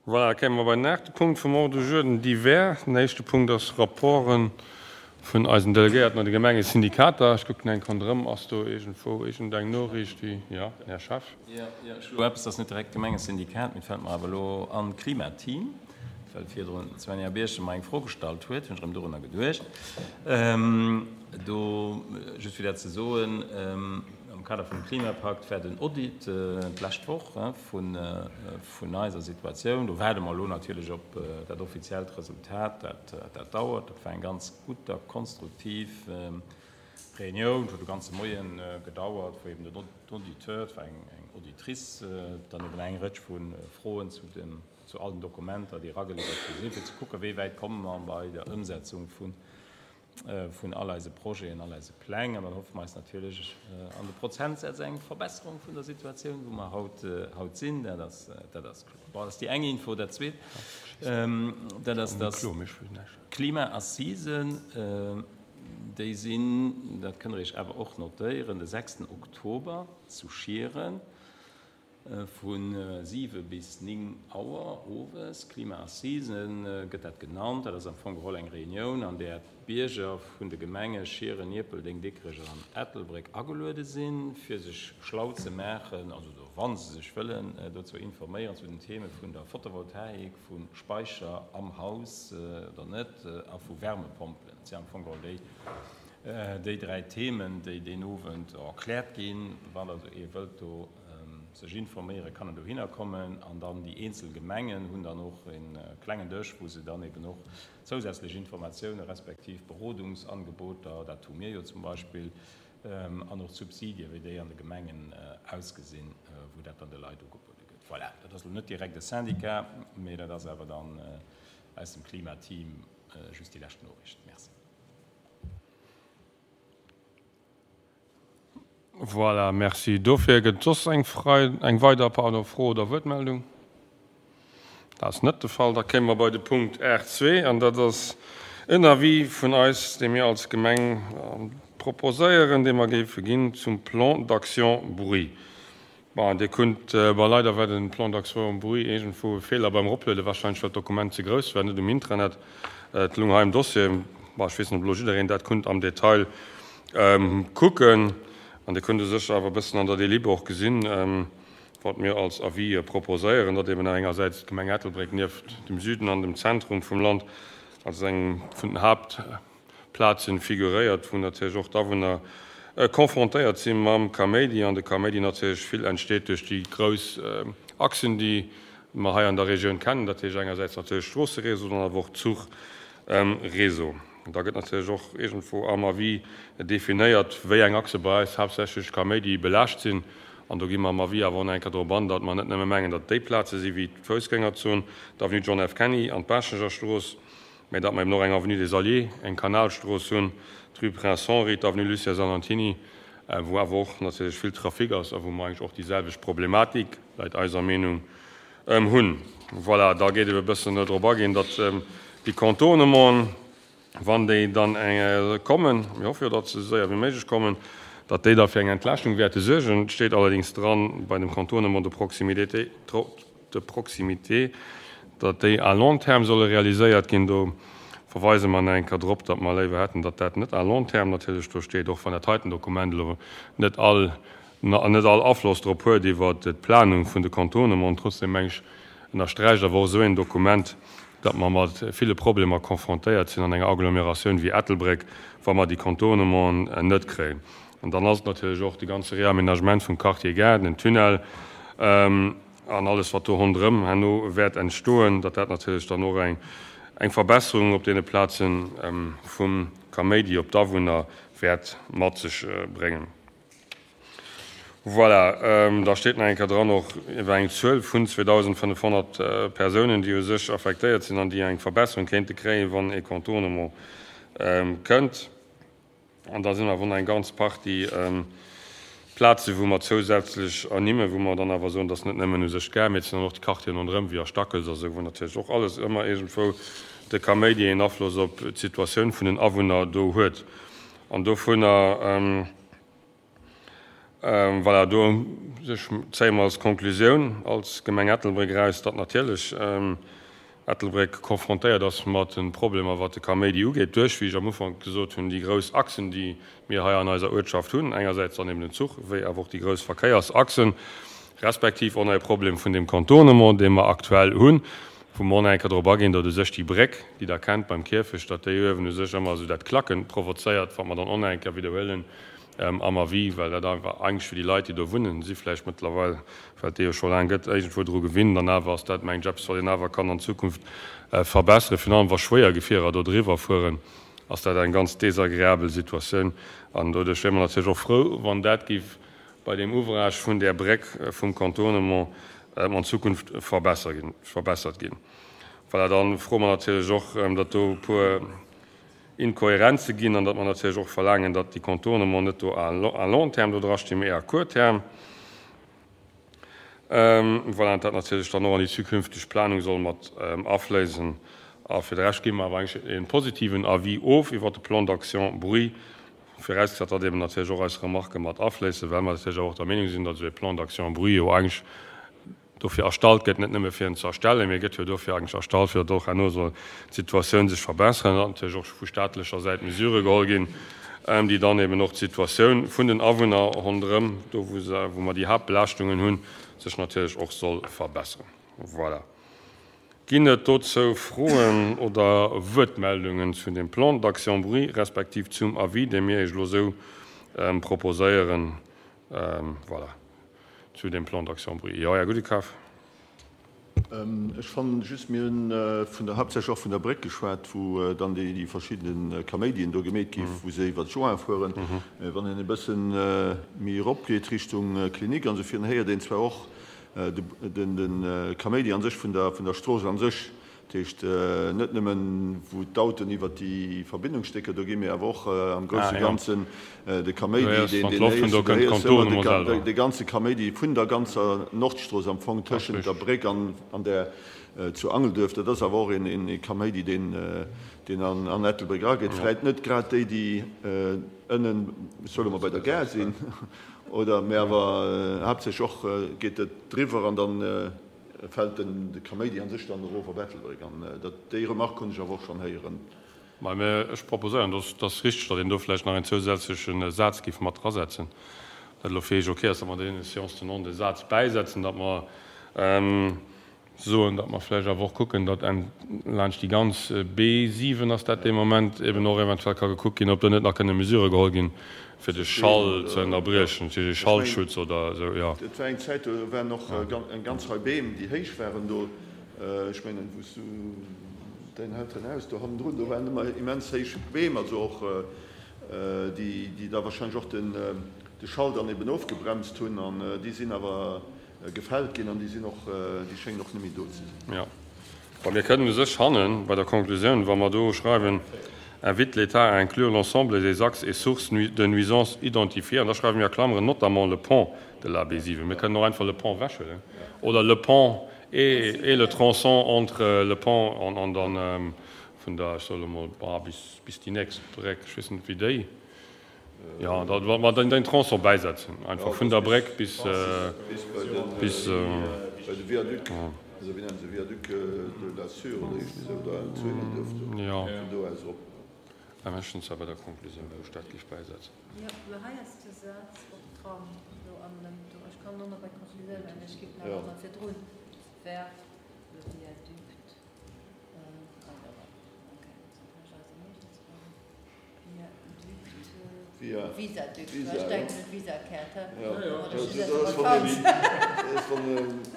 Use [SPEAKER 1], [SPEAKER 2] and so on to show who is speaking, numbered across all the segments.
[SPEAKER 1] Voilà, da kéime mer bei den aachte Punkt vum Ordre du jour, den Divers. Den éischte Punkt ass Rapporte vun eisen Delegéierten an de Gemengesyndikater. Ech kucken eng Konnt erëm. Ass do iergendwou iergendeng Noriicht, déi. Jo, den Här Schaaf.
[SPEAKER 2] Jo, jo, ech hu elo eppes, dat ass net direkt Gemengesyndikat, mee et fält mer awer elo an, Klimateam, well virdrun d'Svenja Birchen mer eng Fro gestallt huet, hunn ech erëm dorunner geduecht. Do, just fir dat ze soen, am Kader vum Klimapakt war den Audit d'lescht Woch vun vun eiser Situatioun. Do waarde mer elo natierlech op dat offiziellt Resultat. Dat, dat dauert. Dat war eng ganz gutt a konstruktiv Reunioun. Et huet de ganze Moien gedauert, wou eben den Auditeur, et war eng Auditrice, dann eben eng Rëtsch vu Froen zu den, zu all den Dokumenter, déi erageliwwert gi sinn, fir ze kucken, wéi wäit komme mer bei der Ëmsetzung vun vun all eise Projeten, all eise Pläng. An dann hoffe mer eis natierlech an de Prozentsätz eng Verbesserung vun der Situatioun, wou mer haut, haut sinn. Dat ass, dat ass kloer. Bon, dat ass déi eng Info. Dat Zweet, dat ass, dass d'Klima-Assisen, déi sinn, dat kënnt Der Iech awer och notéieren, de sechsten Oktober zu Schieren. Vu 7 bis 9 Auer owes, Klima-Assisen gëtt dat genannt. Dat ass am Fong geholl eng Reunioun, an där d'Bierger vun de Gemenge Schieren, Ierpeldeng, Dikrech an Ettelbréck ageluede sinn, fir sech schlau ze maachen, also wa se sech wëllen dozou informéieren, zu den Theme vun der Photovoltaik, vu Speicher am Haus oder net a vu Wärmepompelen. Dat sinn am Fong geholl déi déi 3 Themen, déi deen Owend erkläert ginn. Wann also ee wëllt do sech informéieren, kann en dohinner kommen. An dann déi eenzel Gemengen hunn dann och e klengen Dësch, wou se dann eben och zousätzlech Informatioune respektiv Berodungsangeboter, dat hu mir jo zum Beispill, an och d'Subsidie wéi déi an de Gemengen ausgesinn, wou dat dann de Leit ugebuede gëtt. Voilà, dat ass elo net direkt e Syndicat, mee dat ass awer dann aus dem Klimateam just déi lescht Noriicht. Merci.
[SPEAKER 1] Voilà, merci dofir. Gëtt et soss eng Frei, eng weider, pardon, Fro oder Wuertmeldung? Dat ass net de Fall. Da kéime mer bei de Punkt 8.2, an dat ass en Avis vun eis, dee mir als Gemeng proposéieren, dee mer géife ginn zum Plan d'action bruit. Bon, Dir kunnt, bon, leider war den Plan d'action bruit iergendwou e Feeler beim Eroplueden, wahrscheinlech well d'Dokument ze grouss war, net um Intranet, et lung hei am Dossier. Bon, ech weess net, ob elo jiddereen dat kunnt am Detail kucken. An Dir kunnt u sech awer e bëssen an der Délib och gesinn, wat mir als Avis proposéieren, datt eben engersäits d'Gemeng Ettelbréck nieft dem Süden an dem Zentrum vum Land als eng vun den Haupt, Plazen figuréiert, wou natierlech och d'Awunner confrontéiert si mam Kaméidi an de Kaméidi natierlech vill entsteet duerch déi grouss Achsen, déi mer hei an der Regioun kennen, dat heescht engersäits natierlech Stroosseréseau, dann awer och Zuchréseau. Da gëtt natierlech och iergendwou am Avis definéiert, wéi eng Achse bei eis haaptsächlech Kaméidi belaascht sinn. An do gi mer am Avis awer och nach eng Kéier drop an, datt mer net nëmme mengen, datt déi Plaze si wéi d'Foussgängerzon, d'Avenue John F. Kenny an d'Baaschtnecher Strooss, mä datt mer eben och eng Avenue des Alliés, eng Kanalstrooss hunn, d'Rue Prince Henri, d'Avenue Lucien Salentiny, wou awer och natierlech vill Trafic ass a wou mer eigentlech och déi selwecht Problematik, leit eiser Meenung, hunn. Voilà, da gétt ebe e bëssen drop aginn, datt déi Contournementen, wann déi dann kommen, mir hoffe jo, datt se esou séier wéi méiglech kommen, datt déi da fir eng Entlaaschtung wäerte suergen. Et steet allerdéngs dran bei dem Contournement de proximité, de proximité, datt déi à long terme solle realiséiert ginn. Do verweise mer nach eng Kéier drop, datt mer léiwer hätten, datt dat net à long terme natierlech do steet, och wann dat heiten Dokument elo net all, net all Afloss drop huet iwwert d'Planung vun de Contournementen. Trotzdem meng ech, ënnersträicht awer och esou een Dokument, datt mer mat ville Problemer confrontéiert sinn an enger Agglomératioun wéi Ettelbréck, wa mer déi Contournementen net kréien. An dann ass et natierlech och de ganze Réaménagement vum Quartier Gare, den Tunnel an alles, wat do ronderëm herno wäert entstoen, datt dat natierlech dann och eng Verbesserung op deene Plaze vum Kaméidi op d'Awunner wäert mat sech bréngen. Voilà, da steet nach eng Kéier dran och iwwer eng Zuel vun 2.500 Persounen, déi u sech affektéiert sinn an déi eng Verbesserung kéinte kréien, wann e Contournement kënnt. An da sinn awer och nach eng ganz Partie Plazen, wou mer zousätzlech ernimmen, wou mer dann awer soen, dass net nëmmen u sech d'Gare, mee et sinn dann och déi Quartieren ronderëm, wéi a Stackels a sou, wou natierlech och alles ëmmer iergendwou de Kaméidi een Afloss op d'Situatioun vun den Awunner do huet. An dovunner. Voilà, do sech zéie mer als Konklusioun als Gemeng Ettelbréck eraus, datt natierlech Ettelbréck konfrontéiert ass mat de Problemer, wat de Kaméidi ugeet, duerch, wéi ech am Ufank gesot hunn, déi grouss Achsen, déi mir hei an eiser Uertschaft hunn, engersäits dann eben den Zuch, wéi awer och déi grouss Verkéiersachsen, respektiv och nach e Problem vun deem Contournement, dee mer aktuell hunn, wou mer och nach eng Kéier drop aginn, datt u sech déi Bréck, déi Der kennt beim Kierfecht, datt déi uewen u sech ëmmer esou dat Klacke provozéiert, wat mer dann och nach eng Kéier widderhuelen am Avis, well dat einfach eigentlech fir déi Leit, déi do wunnen, si vläicht mëttlerweil, well et déi jo scho laang gëtt, iergendwou dru gewinnt. An awer ass dat, mengen ech, eppes, wat een awer kann an Zukunft verbesseren. Virun allem wa schwéier Gefierer do driwwer fueren, ass dat eng ganz desagreabel Situatioun. An doduerch wiere mer natierlech och frou, wann dat géif bei deem Ouvrage vun där Bréck vum Contournement an Zukunft verbessert ginn. Voilà, da froe mer natierlech och, datt do e puer Inkohärenze ginn an datt mer natierlech och verlaangen, datt déi Contournement net do à long terme do drastinn, mee à court terme. Voilà, an dat natierlech dann och an déi zukünfteg Planung soll mat afléisen. A fir de Rescht gi mer awer eigentlech e positiven Avis of iwwert de Plan d'action bruit, virausgesat, datt eeben natierlech och eis Remarquë mat afléissen, well mer natierlech awer och der Meenung sinn, datt esou e Plan d'action bruit jo eigentlech dofir erstallt gëtt, net nëmme fir en ze erstellen, mee e gëtt jo dofir eigentlech erstallt, fir datt och herno soll d'Situatioun sech verbessern an datt natierlech och vu staatlecher Säit Mesurë geholl ginn, déi dann eben och d'Situatioun vun den Awunner ronderëm, do wou se, wou mer déi Haaptbelaaschtungen hunn, sech natierlech och soll verbessern. Voilà. Ginn et dozou Froen oder Wuertmeldungen zu dem Plan d'action bruit respektiv zum Avis, dee mir Iech elo esou proposéieren? Voilà. Zu dem Plan d'action bruit. Jo, Här Gudekaf.
[SPEAKER 3] Ech fannen just, mir hunn vun der, haaptsächlech och vun der Bréck geschwat, wou dann déi verschidde Kaméidien do gemeet gi wou se iwwert d'Joint fueren. Wann een e bësse méi eropgeet Richtung Klinik an esou virun, héiert een zwar och de Kaméidi an sech vun der Strooss an sech. Dat heescht, net nëmmen, wou d'Autoen iwwert déi Verbindungsstécker do ginn, mee awer och am grousse Ganzen de Kaméidi, deen héiers du, du héiers ëmmer de ganze Kaméidi vun der ganzer Nordstrooss am Fong tëschent der Bréck an där zu Angelduerf. Dat ass awer och ee Kaméidi, deen an Ettelbréck erageet. Vläicht net grad déi, déi ënnen, ech soe mol, bei der Gare sinn, oder, mee awer haaptsächlech och geet et driwwer an dann Fält den de Kaméidi an sech dann erof op Ettelbréck? An dat, déi Remarque hunn ech awer och schonn héieren.
[SPEAKER 1] Mä ech proposéieren, dass ass richteg, datt een do vläicht nach een zousätzleche Saz géif mat drasetzen, dat elo fir Iech ok ass, datt mer deen Séance tenante e Saz bäisetzen, datt mer soen, datt mer vläicht awer och kucken, datt laanscht déi ganz B7 ass dat dee Moment eben och eventuell ka gekuckt ginn, ob do net nach kënne Mesurë geholl ginn, Fir de Schall ze ënnerbriechen, natierlech e Schallschutz oder esou, jo.
[SPEAKER 3] Et war eng Zäit, do waren och eng ganz Rei Beem, déi héich waren do. Ech mengen, wou s du däin Elterenhaus do hannendrun, do waren ëmmer immens héich Beem, also och déi, déi da wahrscheinlech och de Schall dann eben ofgebremst hunn. An déi sinn awer Gefällt ginn an déi sinn och, déi schéngen och net méi do ze sinn.
[SPEAKER 1] Jo. Bon, mir kënnen u sech hannen bei der Konklusioun, wa mer do schreiwen, invite l'État à inclure l'ensemble des axes et sources de nuisances identifiées, an da schreiwe mir a Klammeren notamment le pont de la B7. Mir kënnen och einfach le pont ewechhuelen oder le pont et, et le tronçon entre le pont an, an dann vun der, ech soe lo mol, bis, bis déi nächst Bréck, ech weess net wéi déi. Jo, da wa mer den Tronçon bäisetzen, einfach vun der Bréck bis,
[SPEAKER 3] bis. Bei de Viaduc, also wéi nennen se, Viaduc de la Sûre oder iergendwéi esou, da zu Ingelduerf do, vun do aus erop.
[SPEAKER 1] Mä ech hunn zwar bei der Conclusioun, wou ech dat géif bäisetzen.
[SPEAKER 4] Jo, mä hei ass de Saz och dran, do an dem, do, ech kann och nach bei d'Conclusioun, mä ech géif nach emol virdrun, vers le viaduc,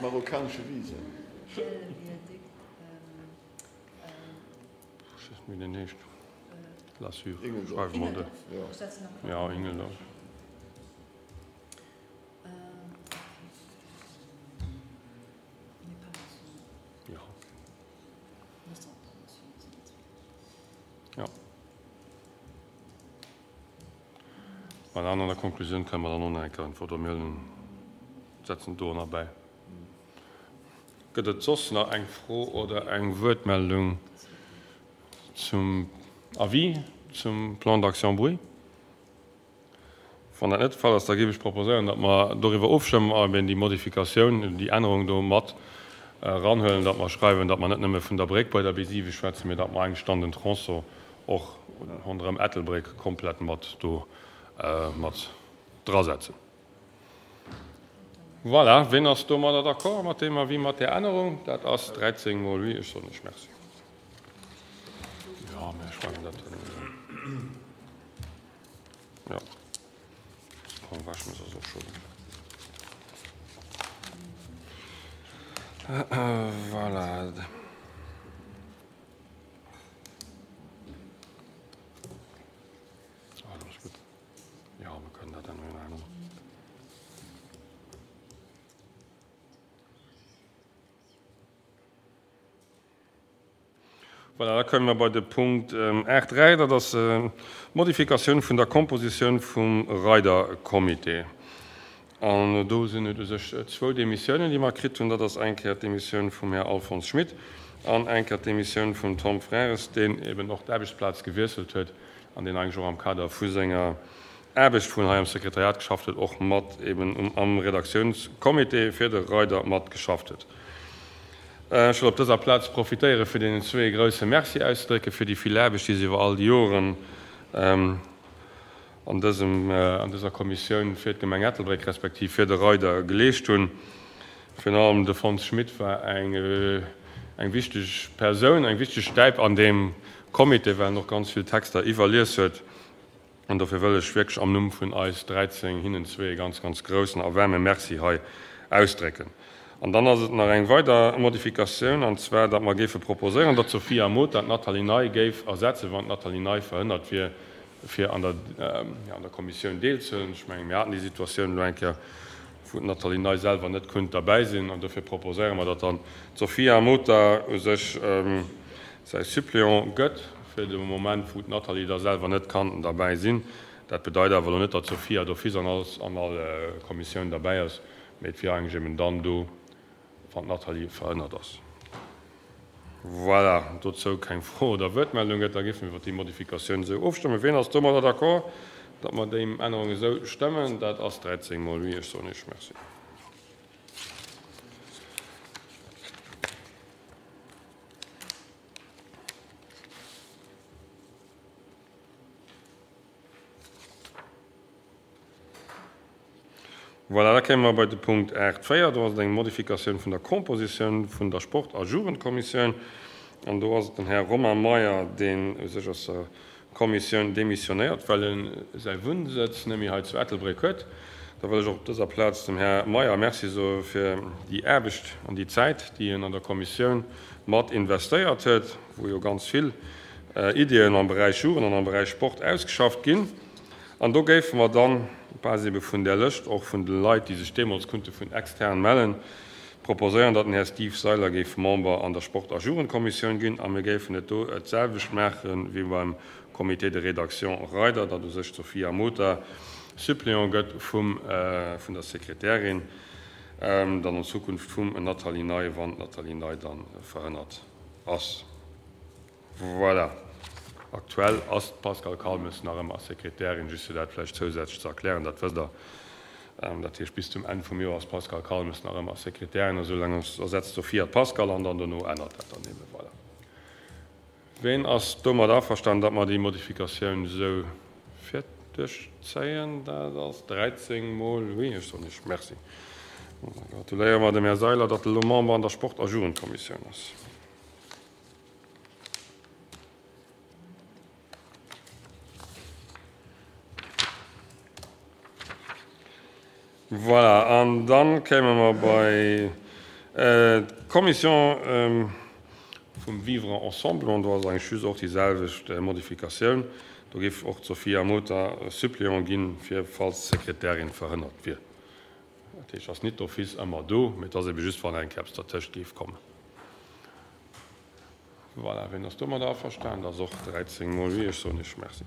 [SPEAKER 3] Marokkanesche Visa.
[SPEAKER 1] Jo. Voilà, an an der Konklusioun kënnen mer dann och nach eng Kéier äntweren, oder mir huelen, setzen et do nach bäi. Gëtt et soss nach eng Fro oder eng Wuertmeldung zum Avis zum Plan d'action bruit? Wann dat net de Fall ass, da géif ech proposéieren, datt mer doriwwer ofstëmmen a eben déi Modifikatioun, déi Ännerung do mat eranhuelen, datt mer schreiwen, datt mer net nëmme vun der Bréck bei der B7 schwätzen, mee datt mer eigentlech dann den Tronçon och ronderëm Ettelbréck komplett mat do mat drasetzen. Voilà, ween ass domadder d'accord, mat deem Avis, mat där Ännerung? Dat ass 13 mol oui. Ech soen Iech Merci. Jo, mä ech mengen dat. Jo, Paul Waschmes ass och scho do. Voilà. Ah, dat ass gutt. Jo, mir kënnen dat änneren herno. Voilà, da komme mer bei de Punkt 8.3, dat ass d'Modifikatioun vun der Kompositioun vum Reider-Comité. An do sinn et u sech zwou Demissiounen, déi mer kritt hunn. Dat ass eng Kéier d'Demissioun vum Här Alphonse Schmit an eng Kéier d'Demissioun vum Tom Frères, deen eben och d'Aarbechtsplaz gewiesselt huet an deen eigentlech och am Kader vu senger Aarbecht, wou en hei am Sekretariat geschafft huet, och mat eben am Redaktiounscomité fir de Reider mat geschafft huet. Ech wëll op dëser Plaz profitéiere fir deenen zwee e grouse Merci auszedrécke fir déi vill Aarbecht, déi se iwwer all déi Joren an dësem, an dëser Kommissioun fir d'Gemeng Ettelbréck respektiv fir de Reider geleescht hunn. Virun allem de Fons Schmit war eng, eng wichteg Persoun, eng wichteg Stäip an deem Comité, well en och ganz vill Texter iwwerlies huet. An dofir wëll ech wierklech am Numm vun eis 13 hinnen zwee e ganz, ganz groussen a waarme Merci hei ausdrécken. An dann ass et nach eng weider Modifikatioun, an zwar datt mer géife proposéieren, datt d'Sophia Mota d'Nathalie Ney géif ersetzen, wann d'Nathalie Ney verhënnert wier, fir an der, jo, an der Kommissioun deelzehuelen. Ech mengen, mir haten déi Situatioun elo eng Kéier, wou d'Nathalie Ney selwer net kunnt derbäi sinn. An dofir proposéiere mer, datt dann d'Sophia Mota u sech säi Suppléant gëtt fir de Moment, wou d'Nathalie da selwer net kann derbäi sinn. Dat bedeit awer elo net, datt d'Sophia d'office an all an all Kommissioun derbäi ass, mee et wier eigentlech eben dann do, wann d'Nathalie verhënnert ass. Voilà, dozou keng Fro oder Wuertmeldung gëtt, da géife mir iwwert déi Modifikatioun esou ofstëmmen. Wien ass domadder d'accord, datt mer déi Ännerung esou stëmmen? Dat ass 13 mol oui. Ech soen Iech Merci. Voilà, da kéime mer bei de Punkt 8.4. Do ass et eng Modifikatioun vun der Compositioun vun der Sport a Jugendkommissioun. An do ass et den Här Romain Meyer, deen u sech aus der Kommissioun demissionéiert, well e säi Wunnsëtz net méi hei zu Ettelbréck huet. Da wëll ech och op dëser Plaz dem Här Meyer Merci soe fir déi Aarbecht an déi Zäit, déi en an der Kommissioun mat investéiert huet, wou jo ganz vill Iddien am Beräich Jugend an am Beräich Sport ausgeschafft ginn. An do géife mer dann, op Base ebe vun där Lëscht, och vun de Leit, déi sech deemools kunnte vun extern mellen, proposéieren, datt den Här Steve Seiler géif Member an der Sport a Jugendkommissioun ginn a mir géifen et do d'selwecht maache wéi beim Comité de rédaction Reider, datt u sech d'Sophia Mota Suppléant gëtt vum, vun der Sekretärin, dann an Zukunft vum Nathalie Ney, wann d'Nathalie Ney da verhënnert ass. Voilà. Aktuell ass d'Pascale Calmes nach ëmmer Sekretärin, just fir dat vläicht zousätzlech ze erklären, dat wësst Der. Dat heescht, bis zum Enn vum Joer ass d'Pascale Calmes nach ëmmer Sekretärin a soulaang ersetzt d'Sophia d'Pascale an dann dono ännert dat dann eben. Voilà. Ween ass domat averstanen, datt mer déi Modifikatioun esou virduerchzéien? Dat ass 13 mol oui. Ech soen Iech Merci. Da gratuléiere mer dem Här Seiler, datt e lo Member an der Sport a Jugendkommissioun ass. Voilà, an dann kéime mer bei d'Commission vum Vivre ensemble. An do ass eigentlech just och déi selwecht Modifikatioun. Do géif och d'Sophia Mota Suppléant ginn, fir falls d'Sekretärin verhënnert wier. Dat heescht, ass nit d'office ëmmer do, mee et ass ebe just, wann eng Kéier eppes dertëscht géif kommen. Voilà, wien ass domadder averstanen? Dat ass och 13 mol oui. Ech soen Iech Merci.